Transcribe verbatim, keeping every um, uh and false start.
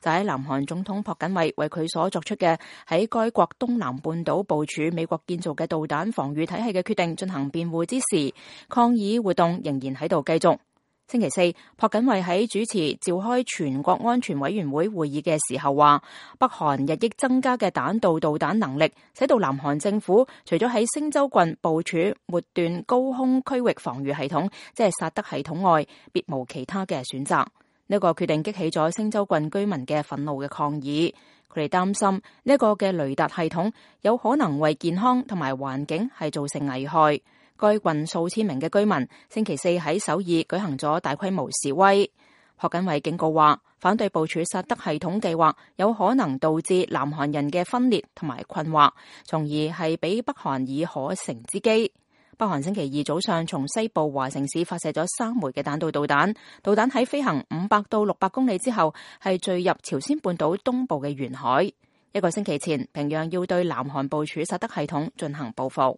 就喺南韓總統朴槿惠為佢所作出嘅喺該國東南半島部署美國建造嘅導彈防禦體系嘅決定進行辯護之時，抗議活動仍然喺度繼續。星期四，朴槿惠喺主持召開全國安全委員會會議嘅時候話，北韓日益增加嘅彈道導彈能力，使到南韓政府除咗喺星洲郡部署末段高空區域防禦系統，即係薩德系統外，別無其他嘅選擇。呢個決定激起咗星洲郡居民嘅憤怒嘅抗議，佢哋擔心呢個嘅雷達系統有可能為健康同埋環境係造成危害。該郡數千名嘅居民星期四喺首爾舉行咗大規模示威。朴槿惠警告話，反對部署薩德系統計劃有可能導致南韓人嘅分裂同埋困惑，從而係俾北韓以可乘之機。北韓星期二早上從西部華城市發射咗三枚嘅彈道導彈，導彈喺飛行五百到六百公里之後係墜入朝鮮半島東部嘅沿海。一個星期前，平壤要對南韓部署薩德系統進行報復。